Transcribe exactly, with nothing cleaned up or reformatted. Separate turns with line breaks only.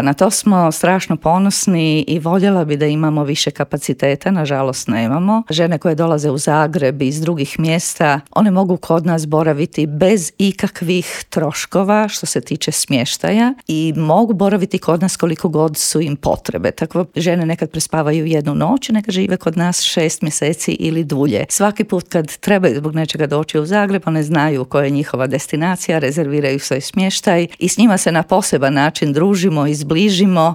Na to smo strašno ponosni i voljela bi da imamo više kapaciteta, nažalost nemamo. Žene koje dolaze u Zagreb iz drugih mjesta, one mogu kod nas boraviti bez ikakvih troškova što se tiče smještaja i mogu boraviti kod nas koliko god su im potrebe. Tako žene nekad prespavaju jednu noć, neka žive kod nas šest mjeseci ili dulje. Svaki put kad trebaju zbog nečega doći u Zagreb, one znaju koja je njihova destinacija, rezerviraju svoj smještaj i s njima se na poseban način družimo i zbližimo